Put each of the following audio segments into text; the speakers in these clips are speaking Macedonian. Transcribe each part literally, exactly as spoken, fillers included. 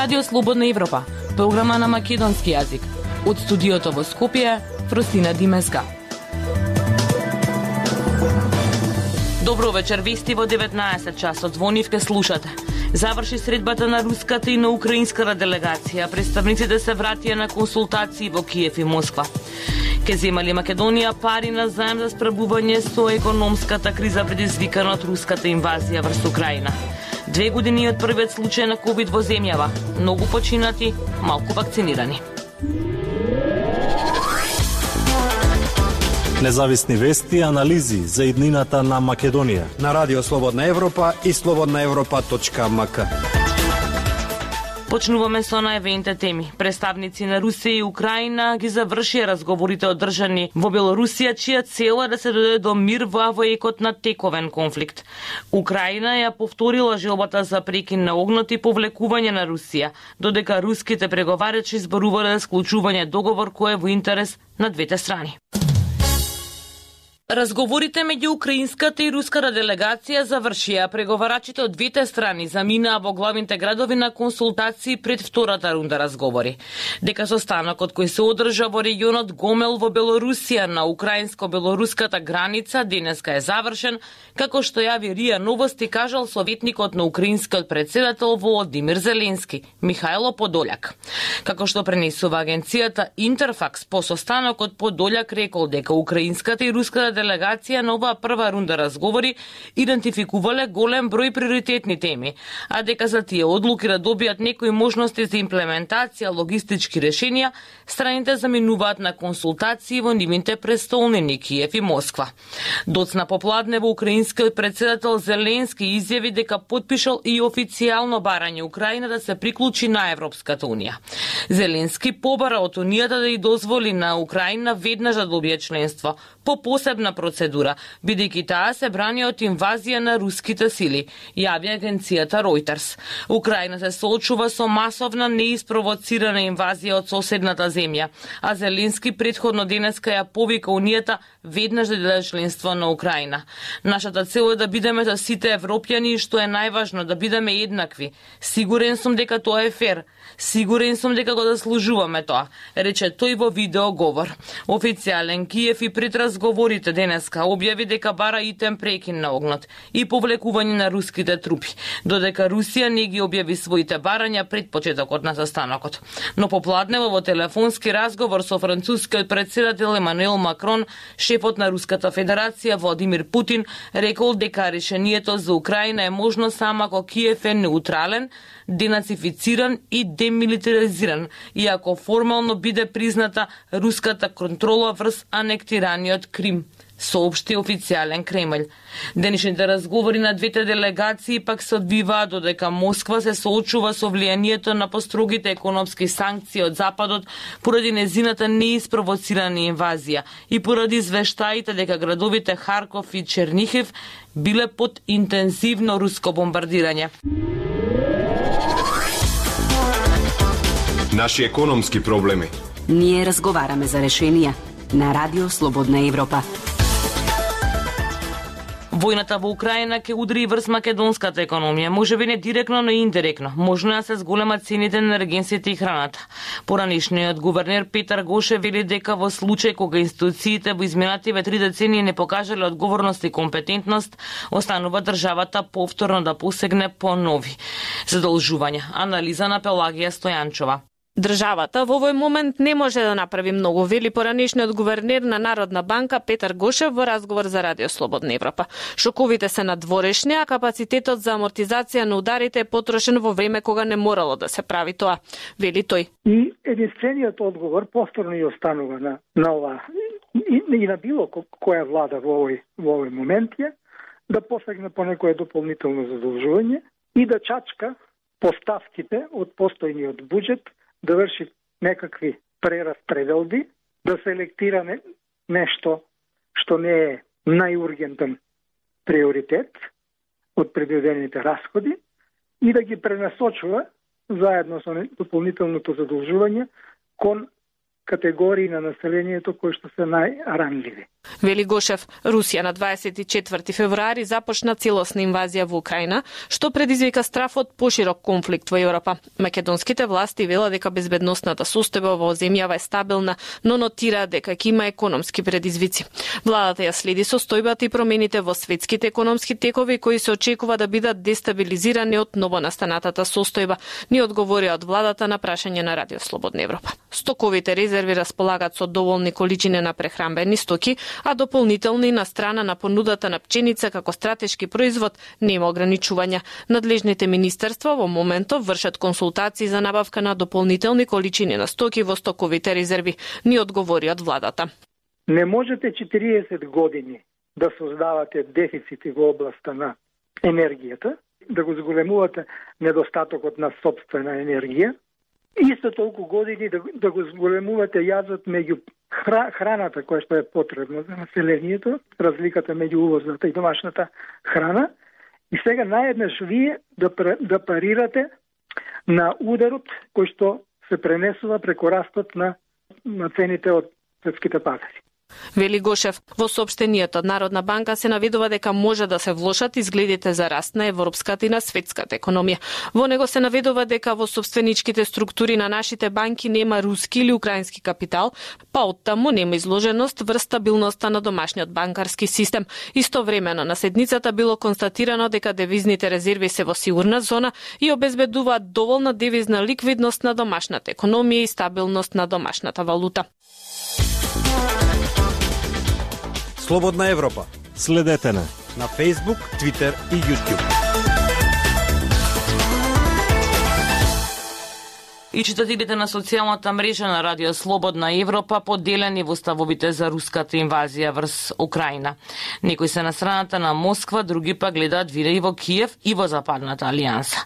Радио Слободна Европа, програма на македонски јазик. Од студиото во Скопје, Фростина Димеска. Добро вечер, вести во деветнаесет часот. Звонив ке слушате. Заврши средбата на руската и на украинската делегација. Представниците се вратија на консултации во Киев и Москва. Ке земали Македонија пари на заем за справување со економската криза предизвикана од руската инвазија врз Украина. Две години од првиот случај на ковид во земјава. Многу починати, малку вакцинирани. Независни вести и анализи за иднината на Македонија. На Радио Слободна Европа и слободна европа точка ем ка. Почнуваме со најавените теми. Представници на Русија и Украина ги завршија разговорите одржани во Белорусија, чија цел е да се дојде до мир во авоекот на тековен конфликт. Украина ја повторила желбата за прекин на огнот и повлекување на Русија, додека руските преговарачи зборувале за склучување договор кој е во интерес на двете страни. Разговорите меѓу украинската и руската делегација завршија. Преговарачите од двете страни заминаа во главните градови на консултации пред втората рунда разговори. Дека состанокот кој се одржа во регионот Гомел во Белорусија на украинско-белоруската граница денеска е завршен, како што јави РИА Новости кажал советникот на украинскиот председател Володимир Зеленски, Михајло Подољак. Како што пренесува агенцијата Интерфакс, по состанокот Подољак рекол дека украинската и руската делегација на оваа прва рунда разговори идентификувале голем број приоритетни теми, а дека за тие одлуки да добијат некои можности за имплементација логистички решенија, страните заминуваат на консултации во нивните престолнини Киев и Москва. Доцна попладне во украинскиот председател Зеленски изјави дека потпишал и официјално барање Украина да се приклучи на Европската унија. Зеленски побара од унијата да ја дозволи на Украина веднаш да добие членство по посебна процедура, бидејќи таа се брани од инвазија на руските сили, јави агенцијата Reuters. Украина се соочува со масовна неиспровоцирана инвазија од соседната земја, а Зеленски претходно денеска ја повика унијата веднаш да даде членство на Украина. Нашата цел е да бидеме за сите европјани и што е најважно да бидеме еднакви. Сигурен сум дека тоа е фер. Сигурен сум дека го заслужуваме тоа, рече тој во видеоговор. Официјален Киев и пред разговорите денеска објави дека бара итем прекин на огнот и повлекување на руските трупи, додека Русија не ги објави своите барања пред почетокот на застанокот. Но попладнево во телефонски разговор со францускиот председател Емануел Макрон, шефот на Руската Федерација Владимир Путин рекол дека решението за Украина е можно само ако Киев е неутрален, денацифициран и демилитаризиран, и ако формално биде призната руската контрола врз анектираниот Крим, соопшти официјален Кремљ. Денешните разговори на двете делегации пак се одбиваат додека Москва се соочува со влијанието на построгите економски санкции од Западот поради незината неиспровоцирана инвазија и поради извештаите дека градовите Харков и Чернихев биле под интензивно руско бомбардирање. Наши економски проблеми. Ние разговараме за решенија на Радио Слободна Европа. Војната во Украина ќе удари врз македонската економија, можеби не директно, но индиректно. Можно да се зголемат цените на енергенсите и храната. Поранешниот гувернер Петар Гошев вели дека во случај кога институциите во изминативе три децении не покажале одговорност и компетентност, останува државата повторно да посегне по нови задолжувања. Анализа на Пелагија Стојанчова. Државата во овој момент не може да направи многу, вели поранешниот гувернер на Народна банка Петар Гошев во разговор за Радио Слободна Европа. Шоковите се надворешни, а капацитетот за амортизација на ударите е потрошен во време кога не морало да се прави тоа, вели тој. И единствениот одговор повторно и останува на, на ова и, и на било која влада во овој, во овој момент е да посегне по некое дополнително задолжување и да чачка поставките од постојниот буџет, да врши некакви прераспределби, да селектира не, нешто што не е најургентен приоритет од предвидените расходи и да ги пренасочува заедно со дополнителното задолжување кон категории на населението кои што се најранливи. Вели Гошев, Русија на дваесет и четврти февруари започна целосна инвазија во Украина, што предизвика страф од поширок конфликт во Европа. Македонските власти велат дека безбедносната состојба во земјава е стабилна, но нотира дека ќе има економски предизвици. Владата ја следи состојбата и промените во светските економски текови кои се очекува да бидат дестабилизирани од новонастанатата состојба, ни одговорија од владата на прашање на Радио Слободна Европа. Стоковите резерви располагат со доволни количини на прехранбени стоки, а дополнителни на страна на понудата на пченица како стратешки производ нема ограничувања. Надлежните министерства во моментов вршат консултации за набавка на дополнителни количини на стоки во стоковите резерви, ни одговори од владата. Не можете четириесет години да создавате дефицити во областа на енергијата, да го зголемувате недостатокот на сопствена енергија, исто толку години да, да го зголемувате јазот меѓу хра, храната која што е потребна за населението, разликата меѓу увозната и домашната храна, и сега наеднаш вие да, да парирате на ударот кој што се пренесува преку растот на, на цените од светските пазари. Вели Гошев, во соопштенијата од Народна банка се наведува дека може да се влошат изгледите за раст на европската и на светската економија. Во него се наведува дека во собственичките структури на нашите банки нема руски или украински капитал, па оттаму нема изложеност врз стабилноста на домашниот банкарски систем. Истовремено на седницата било констатирано дека девизните резерви се во сигурна зона и обезбедуваат доволна девизна ликвидност на домашната економија и стабилност на домашната валута. Слободна Европа. Следете на на Facebook, Twitter и YouTube. И читателите на социјалната мрежа на Радио Слободна Европа поделени во ставовите за руската инвазија врз Украина. Некои се на страната на Москва, други па гледаат видеи во Киев и во Западната алијанса.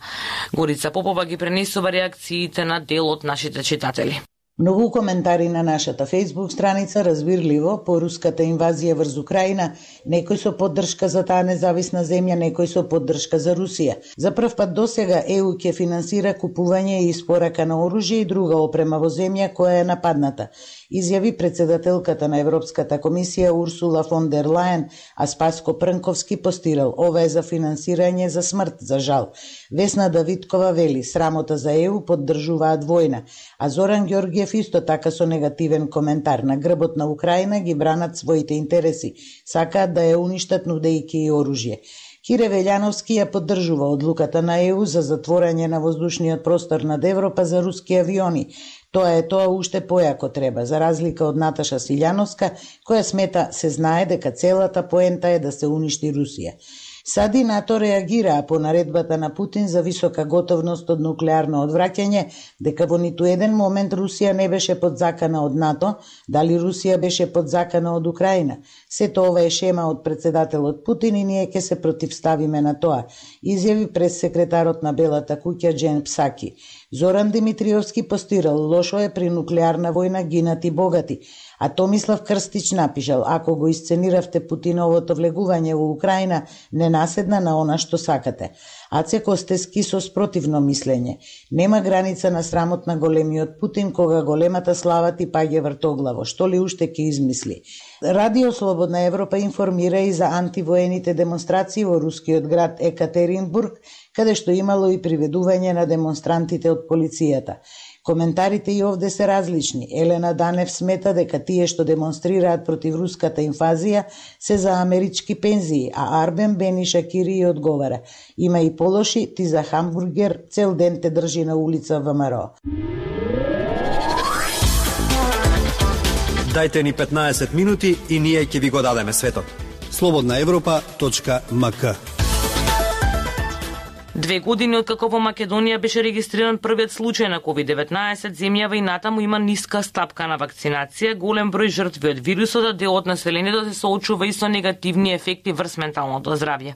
Горица Попова ги пренесува реакциите на дел од нашите читатели. Многу коментари на нашата Facebook страница разбирливо по руската инвазија врз Украина, некој со поддршка за таа независна земја, некој со поддршка за Русија. За прв пат досега Е У ќе финансира купување и испорака на оружје и друга опрема во земја која е нападната, изјави председателката на Европската комисија Урсула фон дер Лајен, а Спаско Прнковски постирал: ова е за финансирање за смрт, за жал. Весна Давидкова вели: срамота за Е У, поддржуваат војна, а Зоран Ѓорѓиев исто така со негативен коментар: на грбот на Украина ги бранат своите интереси, сакаат да ја уништат нудејќи и оружје. Кире Велјановски ја поддржува одлуката на Е У за затворање на воздушниот простор над Европа за руски авиони. Тоа е тоа уште појако треба, за разлика од Наташа Силјановска, која смета се знае дека целата поента е да се уништи Русија. Сади НАТО реагираа по наредбата на Путин за висока готовност од нуклеарно одвраќање, дека во ниту еден момент Русија не беше под закана од НАТО, дали Русија беше под закана од Украина. Сето ова е шема од председателот Путин и ние ќе се противставиме на тоа, изјави прессекретарот на Белата куќа Джен Псаки. Зоран Димитриевски постирал: лошо е при нуклеарна војна гинат и богати. А Томислав Крстич напишал: ако го исцениравте Путиновото влегување во Украина, не наседна на она што сакате. Аце Костески со спротивно мислење: нема граница на срамот на големиот Путин, кога големата слава ти паѓа вртоглаво, што ли уште ќе измисли. Радио Слободна Европа информира и за антивоените демонстрации во рускиот град Екатеринбург, каде што имало и приведување на демонстрантите од полицијата. Коментарите и овде се различни. Елена Данев смета дека тие што демонстрираат против руската инвазија се за амерички пензии, а Арбен Бени Шакири одговара: има и полоши, ти за хамбургер цел ден те држи на улица ВМРО. Дајте ни петнаесет минути и ние ќе ви го дадеме светот. слободна европа точка ем ка. Две години откако во Македонија беше регистриран првиот случај на ковид деветнаесет, земјава и натаму има ниска стапка на вакцинација, голем број жртви од вирусот, а дел од населението се соочува и со негативни ефекти врз менталното здравје.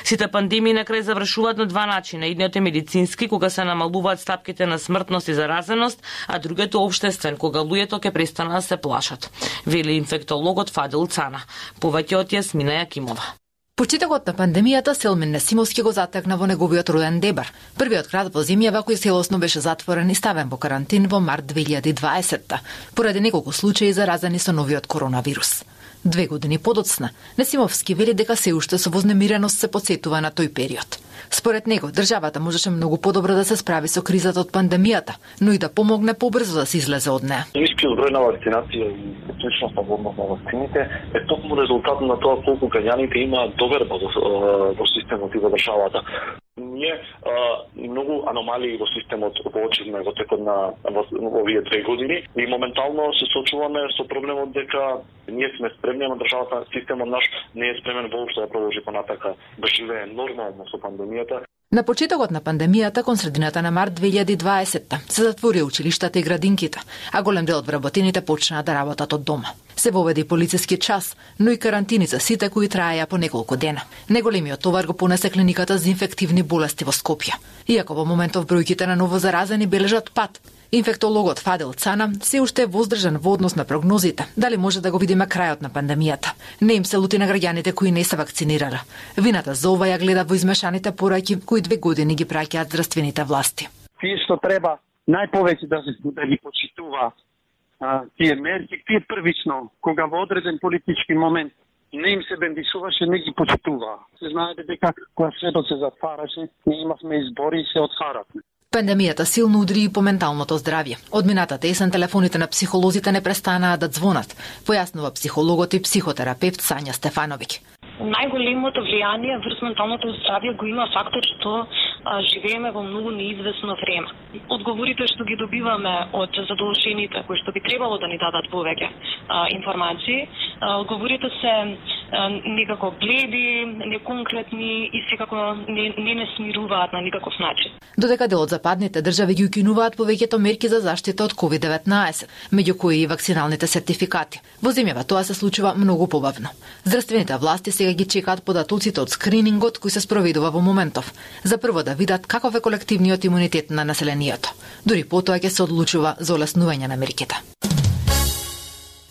Сите пандемии на крај завршуваат на два начина. Едниот е медицински, кога се намалуваат стапките на смртност и заразеност, а другиот е општествен, кога луѓето ќе престанат да се плашат, вели инфектологот Фадил Цана. Повеќе од Јасмина Јакимова. Почетокот на пандемијата Селмин Несимовски го затекна во неговиот роден Дебар, првиот град во земјава кој целосно беше затворен и ставен во карантин во март две илјади и дваесетта, поради неколку случаи заразени со новиот коронавирус. Две години подоцна, Несимовски вели дека се уште со вознемиреност се потсетува на тој период. Според него, државата можеше многу подобро да се справи со кризата од пандемијата, но и да помогне побрзо да се излезе од неа. Нискиот број на вакцинација и специфичност на однос на вакцините е токму резултат на тоа колку граѓаните имаат доверба во, во системот и во државата. Ние а, многу аномалии во системот воочивме во текот на во, во овие две години и моментално се соочуваме со проблемот дека ние сме спремни, но државата, системот наш не е спремен воопшто да продолжи понатака да живее нормално со пандемијата. На почетокот на пандемијата, кон средината на март две илјади и дваесетта, се затвори училиштата и градинките, а голем дел од вработените почнаа да работат од дома. Се воведе и полициски час, но и карантини за сите кои траеја по неколку дена. Неголемиот товар го понесе клиниката за инфективни болести во Скопје. Иако во моментов бројките на ново заразени бележат пат, инфектологот Фадел Цана се уште е воздржан во однос на прогнозите, дали може да го видиме крајот на пандемијата. Не им се лути на граѓаните кои не се вакцинирале. Вината за ова ја гледа во измешаните пораки кои две години ги праќаат здравствените власти. Тие што треба најповеќе да, да ги почитува а, тие мерки, тие првично, кога во одреден политички момент не им се бендисуваше, не ги почитуваа. Се знаете дека кога светот се затвараше, ние имавме избори и се отхаравме. Пандемијата силно удри и по менталното здравје. Од минатата есен телефоните на психолозите не престанаа да звонат, појаснува психологот и психотерапевт Сања Стефановиќ. Најголемото влијание врз менталното здравје го има фактор што а, живееме во многу неизвестно време. Одговорите што ги добиваме од задолжените кои што би требало да ни дадат повеќе а, информации, а, одговорите се а, некако бледи, неконкретни и секако не, не не смируваат на никаков начин. Додека дел од западните држави ги укинуваат повеќето мерки за заштита од ковид деветнаесет, меѓу кои и вакциналните сертификати. Во земјава тоа се случува многу побавно. Здравствените власти сега ги чекаат податоците од скринингот кој се спроведува во моментов, за прво да видат каков е колективниот имунитет на населението. Дури потоа ќе се одлучува за олеснување на мерките.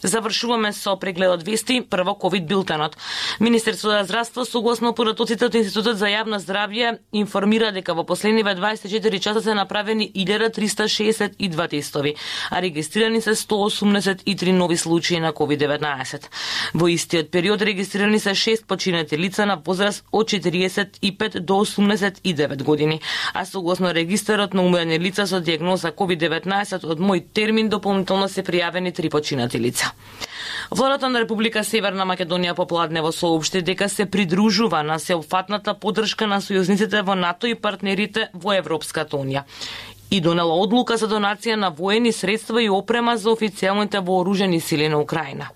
Завршуваме со прегледот вести, прво ковид билтенот. Министерството за здравство согласно податоците од Институтот за јавно здравје информира дека во последниве дваесет и четири часа се направени илјада триста шеесет и два тестови, а регистрирани се сто осумдесет и три нови случаи на ковид деветнаесет. Во истиот период регистрирани се шест починати лица на возраст од четириесет и пет до осумдесет и девет години, а согласно регистарот на умрени лица со дијагноза ковид деветнаесет од мој термин дополнително се пријавени три починати лица. Владата на Република Северна Македонија попладнево соопшти дека се придружува на сеопфатната поддршка на сојузниците во НАТО и партнерите во Европската унија и донела одлука за донација на воени средства и опрема за официјалните вооружени сили на Украина.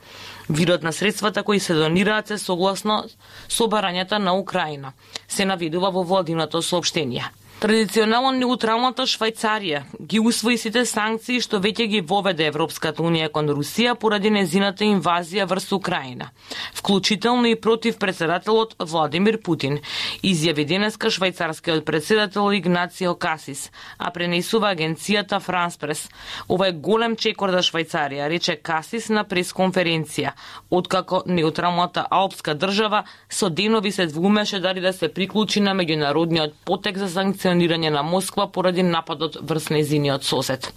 Видот на средствата кои се донираат се согласно со барањата на Украина, се наведува во владиното соопштение. Традиционално неутралната Швајцарија ги усвои сите санкции што веќе ги воведе Европската унија кон Русија поради незината инвазија врз Украина, вклучително и против председателот Владимир Путин, изјави денеска швајцарскиот председател Игнацио Касис, а пренесува агенцијата Франс Прес. Ова е голем чекор за Швајцарија, рече Касис на пресконференција, откако неутралната алпска држава со денови се двумеше дали да се приклучи на меѓународниот потек за санкција на Москва поради нападот врз незиниот сосед.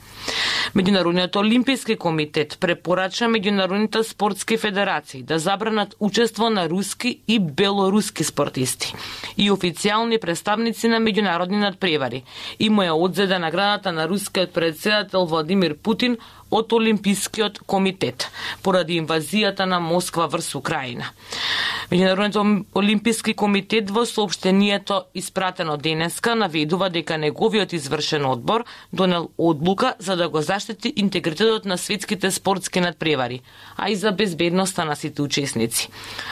Меѓународниот олимписки комитет препорача меѓународните спортски федерации да забранат учество на руски и белоруски спортисти и официјални представници на меѓународни надпревари и му ја одзеде наградата на рускиот председател Владимир Путин од Олимпискиот комитет поради инвазијата на Москва врз Украина. Меѓународниот олимписки комитет во соопштението испратено денеска наведува дека неговиот извршен одбор донел одлука за да го заштити интегритетот на светските спортски надпревари, а и за безбедноста на сите учесници.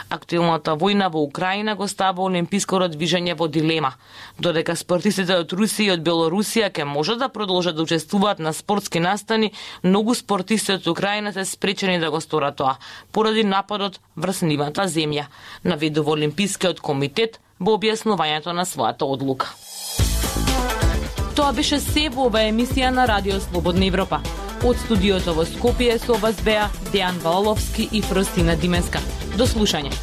Актуелната војна во Украина го става олимпиското движење во дилема, додека спортистите од Русија и од Белорусија ќе можат да продолжат да учествуваат на спортски настани, многу спортисти од Украина се спречени да го сторат тоа поради нападот врз нивната земја, наведува Олимпискиот комитет во објаснувањето на својата одлука. Тоа беше се во оваа емисија на Радио Слободна Европа. Од студиото во Скопје со вас беа Дејан Валовски и Фростина Дименска. До слушање.